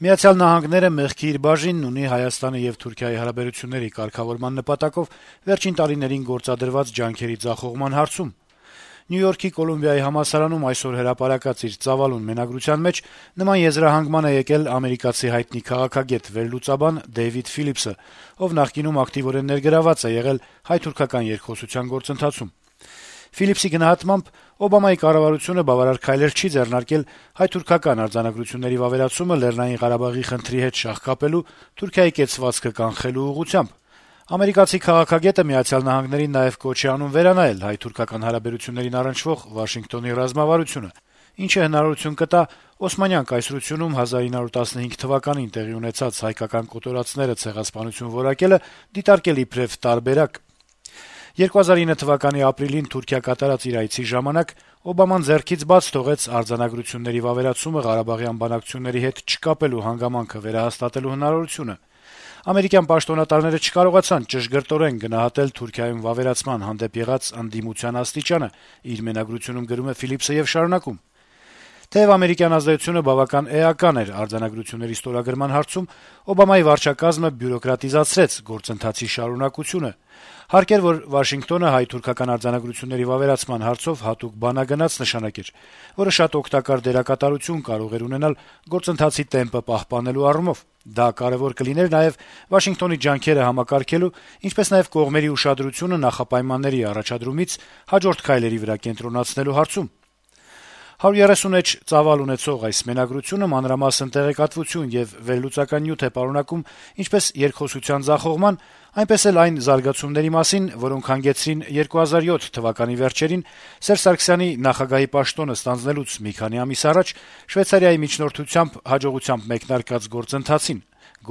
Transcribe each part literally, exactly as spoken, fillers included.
Միացյալ Նահանգները մեղքի իր բաժինն ունի Հայաստանի եւ Թուրքիայի հարաբերությունների կարգավորման նպատակով վերջին տարիներին գործադրված ջանքերի ձախողման հարցում։ Նյու Յորքի Կոլումբիայի համալսարանում այսօր հրապարակած իր ծավալուն մենագրության մեջ նման եզրահանգման է եկել ամերիկացի հայտնի քաղաքագետ վերլուծաբան Դեյվիդ Ֆիլիպսը, ով նախկինում ակտիվորեն ներգրաված է եղել հայ-թուրքական երկխոսության գործընթացում։ Ֆիլիպսի գնահատմամբ Օբամայի կառավարությունը բավարար քայլեր չի ձեռնարկել հայ-թուրքական արձանագրությունների վավերացումը Լեռնային Ղարաբաղի խնդրի հետ շահ կապելու, Թուրքիայի կեցվածքը կանխելու ուղղությամբ։ Ամերիկացի քաղաքագետը Միացյալ Նահանգներին նաեւ կոչ է անում վերանայել հայ-թուրքական հարաբերություններին առնչվող Վաշինգտոնի ռազմավարությունը, ինչը հնարավորություն կտա Օսմանյան կայսրությունում հազար ինը հարյուր տասնհինգ թվականին տեղի ունեցած հայկական կոտորածները ցեղասպանություն որակելը դիտարկել իբրև տարբերակ։ երկու հազար ինը թվականի ապրիլին Թուրքիա կատարած իր այցի ժամանակ Օբաման ձեռքից բաց թողեց արձանագրությունների վավերացումը Ղարաբաղյան բանակցությունների հետ չկապելու հանգամանքը վերահաստատելու հնարավորությունը։ Ամերիկյան պաշտոնատարները չկարողացան ճշգրտորեն գնահատել Թուրքիայում վավերացման հանդեպ եղած ընդդիմության աստիճանը, իր մենագրությունում գրում է Ֆիլիպսը եւ շարունակում. Թեև ամերիկյան ազդեցությունը բավական էական էր արձանագրությունների ստորագրման հարցում, Օբամայի վարչակազմը բյուրոկրատիզացրեց գործընթացի շարունակությունը։ Հարկ էր, որ Վաշինգտոնը հայ-թուրքական արձանագրությունների վավերացման հարցով հատուկ բանագնաց նշանակեր, որը շատ օգտակար դերակատարություն կարող էր ունենալ գործընթացի տեմպը պահպանելու առումով։ Դա կարեւոր կլիներ նաեւ Վաշինգտոնի ջանքերը համակարգելու, ինչպես նաեւ կողմերի ուշադրությունը նախապայմանների առաջադրումից հաջորդ քայլերի վրա կենտրոնացնելու հարցում։ հարյուր երեսուն էջ ծավալ ունեցող այս մենագրությունը մանրամասն տեղեկատվություն եւ վերլուծական նյութ է պարունակում ինչպես երկխոսության ձախողման, այնպես էլ այն զարգացումների մասին, որոնք հանգեցրին երկու հազար յոթ թվականի վերջերին Սերժ Սարգսյանի նախագահի պաշտոնը ստանձնելուց մի քանի ամիս առաջ Շվեյցարիայի միջնորդությամբ հաջողությամբ մեկնարկած գործընթացին,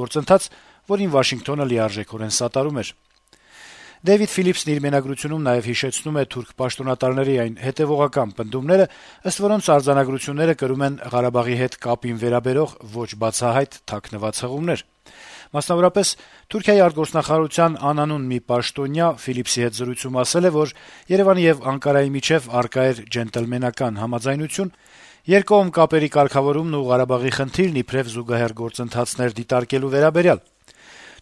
գործընթաց, որին Վաշինգտոնը լիարժեքորեն սատարում էր։ Դեյվիդ Ֆիլիպսն իր մենագրությունում նաեւ հիշեցնում է թուրք պաշտոնատարների այն հետեւողական պնդումները, ըստ որոնց արձանագրությունները կրում են Ղարաբաղի հետ կապին վերաբերող ոչ բացահայտ թաքնված հղումներ։ Մասնավորապես Թուրքիայի արտգործնախարարության անանուն մի պաշտոնյա Ֆիլիպսի հետ զրույցում ասել է, որ Երևանի եւ Անկարայի միջեւ առկա էր ջենտլմենական համաձայնություն, երկկողմ կապերի կարգավորումն ու Ղարաբաղի խնդիրն իբրև զուգահեռ գործընթացներ դիտարկելու վերաբերյալ։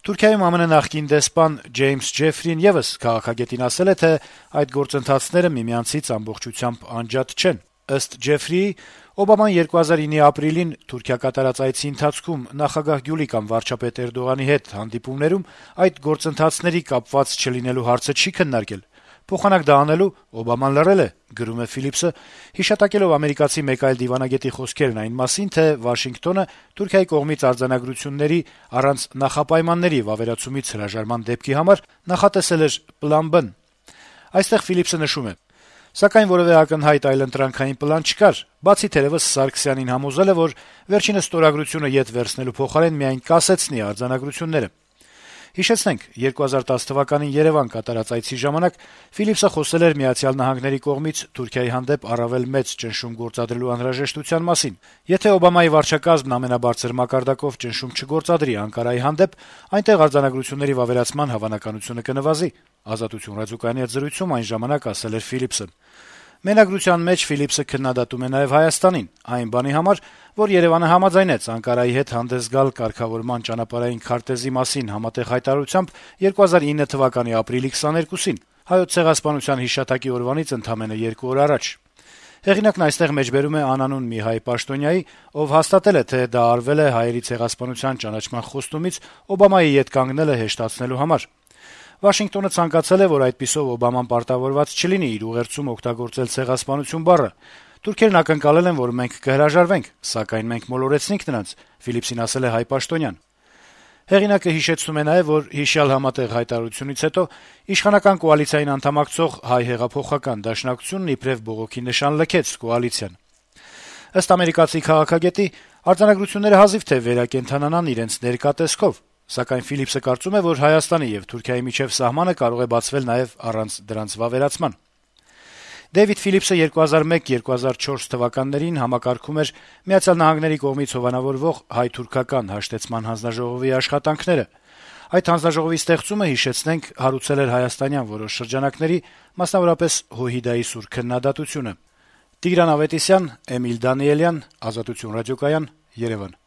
Թուրքիայում ԱՄՆ նախկին դեսպան Ջեյմս Ջեֆրին եւս քաղաքագետին ասել է, թե այդ գործընթացները միմյանցից ամբողջությամբ անջատ չեն։ Ըստ Ջեֆրիի, Օբաման երկու հազար ինի ապրիլին Թուրքիա կատարած այցի ընթացքում նախագահ Գյուլի կամ վարչապետ Էրդողանի հետ հանդիպումներում այդ գործընթացների կապված չլինելու հարցը չի քննարկել։ Փոխանակ դա անելու Օբաման լռել է, գրում է Ֆիլիպսը, հիշատակելով ամերիկացի մեկ այլ դիվանագետի խոսքերն այն մասին, թե Վաշինգտոնը Թուրքիայի կողմից արձանագրությունների առանց նախապայմանների վավերացումից հրաժարման դեպքի համար նախատեսել էր պլան B։ Այստեղ Ֆիլիպսը նշում է. Սակայն որևէ ակնհայտ այլընտրանքային պլան չկար, բացի թերևս Սարգսյանին համոզելը, որ վերջինս ստորագրությունը ետ վերցնելու փոխարեն միայն կասեցնի արձանագրությունները։ Հիշեցնենք, երկու հազար տասը թվականին Երևան կատարած այցի ժամանակ Ֆիլիպսը խոսել էր Միացյալ Նահանգների կողմից Թուրքիայի հանդեպ առավել մեծ ճնշում գործադրելու անհրաժեշտության մասին։ Եթե Օբամայի վարչակազմն ամենաբարձր մակարդակով ճնշում չգործադրի Անկարայի հանդեպ, այնտեղ արձանագրությունների վավերացման հավանականությունը կնվազի։ Ազատություն ռադիոկայանի հետ զրույցում այն ժամանակ ասել էր Ֆիլիպսը։ Մենագրության մեջ Ֆիլիպսը քննադատում է նաեւ Հայաստանին, այն բանի համար, որ Երևանը համաձայնեց Անկարայի հետ հանդես գալ կարգավորման ճանապարհային քարտեզի մասին համատեղ հայտարարությամբ երկու հազար ինը թվականի ապրիլի քսաներկուսին, հայոց ցեղասպանության հիշատակի օրվանից ընդամենը երկու օր առաջ։ Հեղինակն այստեղ մեջբերում է անանուն մի հայ պաշտոնյայի, ով հաստատել է, թե դա արվել է հայերի ցեղասպանության ճանաչման խոստումից Օբամայի յետ կանգնելը հեշտացնելու համար։ Վաշինգտոնը ցանկացել է, որ այդպիսով Օբաման պարտավորված չլինի իր ուղերձում օգտագործել ցեղասպանություն բառը։ Թուրքերն ակնկալել են, որ մենք կհրաժարվենք, սակայն մենք մոլորեցինք նրանց, Ֆիլիպսին ասել է հայ պաշտոնյան։ Հեղինակը հիշեցնում է նաև, որ հիշյալ համատեղ հայտարարությունից հետո իշխանական կոալիցիային անդամակցող հայ հեղափոխական դաշնակցությունն իբրև բողոքի նշան լքեց կոալիցիան։ Ըստ ամերիկացի քաղաքագետի, արձանագրությունները հազիվ թե վերակենդանանան իրենց ներկա տեսքով, սակայն Ֆիլիպսը կարծում է, որ Հայաստանի եւ Թուրքիայի միջև սահմանը կարող է բացվել նաեւ առանց դրանց վավերացման։ Դեյվիդ Ֆիլիպսը երկու հազար մեկ երկու հազար չորս թվականներին համակարգում էր Միացյալ Նահանգների կողմից հովանավորվող հայ-թուրքական հաշտեցման հանձնաժողովի աշխատանքները։ Այդ հանձնաժողովի ստեղծումը, հիշեցնենք, հարուցել էր հայաստանյան որոշ շրջանակների, մասնավորապես Հոհիդայի սուր քննադատությունը։ Տիգրան Ավետիսյան, Էմիլ Դանիելյան, Ազատություն ռադիոկայան, Երևան։